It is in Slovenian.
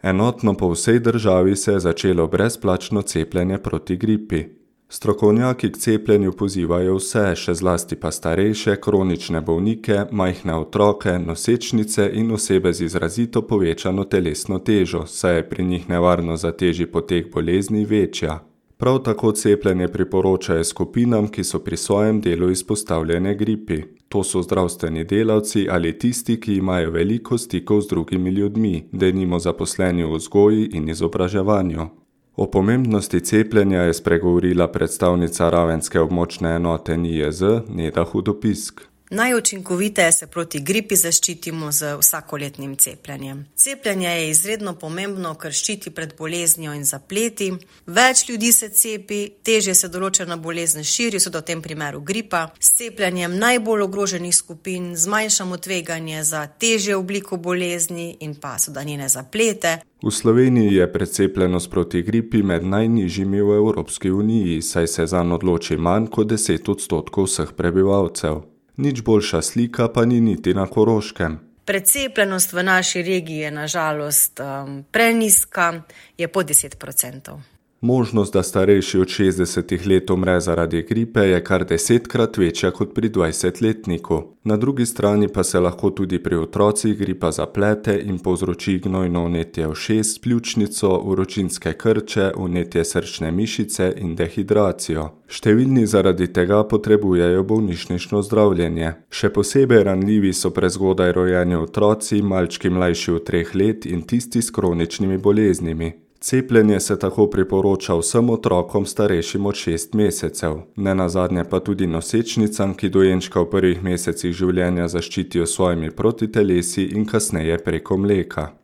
Enotno po vsej državi se je začelo brezplačno cepljenje proti gripi. Strokovnjaki k cepljenju pozivajo vse, še zlasti pa starejše, kronične bolnike, majhne otroke, nosečnice in osebe z izrazito povečano telesno težo, saj je pri njih nevarnost za težji potek bolezni večja. Prav tako cepljenje priporočajo skupinam, ki so pri svojem delu izpostavljene gripi. To so zdravstveni delavci ali tisti, ki imajo veliko stikov z drugimi ljudmi, denimo zaposleni v vzgoji in izobraževanju. O pomembnosti cepljenja je spregovorila predstavnica ravenske območne enote NIJZ Neda Hudopisk. Najučinkoviteje se proti gripi zaščitimo z vsakoletnim cepljenjem. Cepljenje je izredno pomembno, ker ščiti pred boleznijo in zapleti. Več ljudi se cepi, težje se določena bolezen širi, so v tem primeru gripa. S cepljenjem najbolj ogroženih skupin zmanjšamo tveganje za težje obliko bolezni in pa njene zaplete. V Sloveniji je precepljenost proti gripi med najnižjimi v Evropski uniji, saj se zanj odloči manj kot 10% vseh prebivalcev. Nič boljša slika pa ni niti na Koroškem. Precepljenost v naši regiji je na žalost prenizka, je pod 10%. Možnost, da starejši od 60 let umre zaradi gripe, je kar 10-krat večja kot pri 20-letniku. Na drugi strani pa se lahko tudi pri otrocih gripa zaplete in povzroči gnojno vnetje ušes, pljučnico, vročinske krče, vnetje srčne mišice in dehidracijo. Številni zaradi tega potrebujejo bolnišnično zdravljenje. Še posebej ranljivi so prezgodaj rojeni otroci, malčki mlajši od 3 let in tisti s kroničnimi boleznimi. Cepljenje se tako priporoča vsem otrokom starejšim od 6 mesecev, nenazadnje pa tudi nosečnicam, ki dojenčka v prvih mesecih življenja zaščitijo s svojimi protitelesi in kasneje preko mleka.